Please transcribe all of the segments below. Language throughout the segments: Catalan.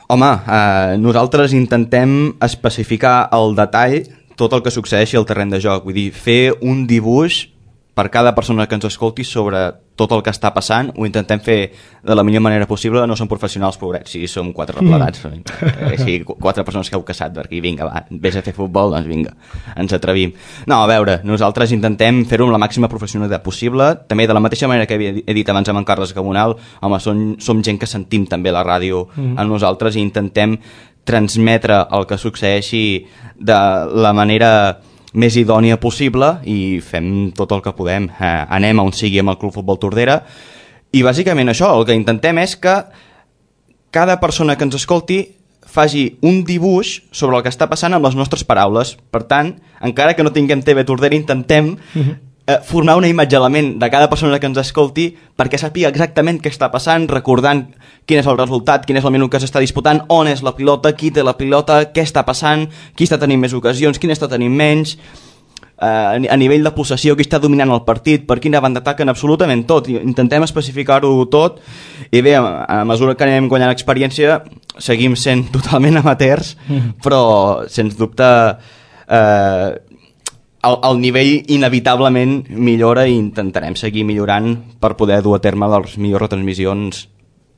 Home, nosaltres intentem especificar al detall tot el que succeeixi al terreny de joc. Vull dir, fer un dibuix per cada persona que ens escolti sobre tot el que està passant, ho intentem fer de la millor manera possible. No som professionals, pobrets, si som 4 replegats, si 4 persones que heu caçat per aquí, vinga, va, vés a fer futbol, doncs vinga, ens atrevim. No, a veure, nosaltres intentem fer-ho amb la màxima professionalitat possible, també de la mateixa manera que he dit abans amb en Carles Gabonal. Home, som gent que sentim també la ràdio a nosaltres i intentem transmetre el que succeeixi de la manera més idònia possible i fem tot el que podem. Anem on sigui amb el Club Futbol Tordera i bàsicament això, el que intentem és que cada persona que ens escolti faci un dibuix sobre el que està passant amb les nostres paraules. Per tant, encara que no tinguem TV Tordera, intentem formar una imatge a la ment de cada persona que ens escolti perquè sàpiga exactament què està passant, recordant quin és el resultat, quin és el minut que s'està disputant, on és la pilota, qui té la pilota, què està passant, qui està tenint més ocasions, qui està tenint menys, a nivell de possessió, qui està dominant el partit, per quina banda ataquen, absolutament tot. Intentem especificar-ho tot i bé, a mesura que anem guanyant experiència seguim sent totalment amateurs, però sens dubte el nivell inevitablement millora i intentarem seguir millorant per poder dur a terme les millors retransmissions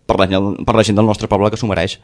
per la gent del nostre poble que s'ho mereix.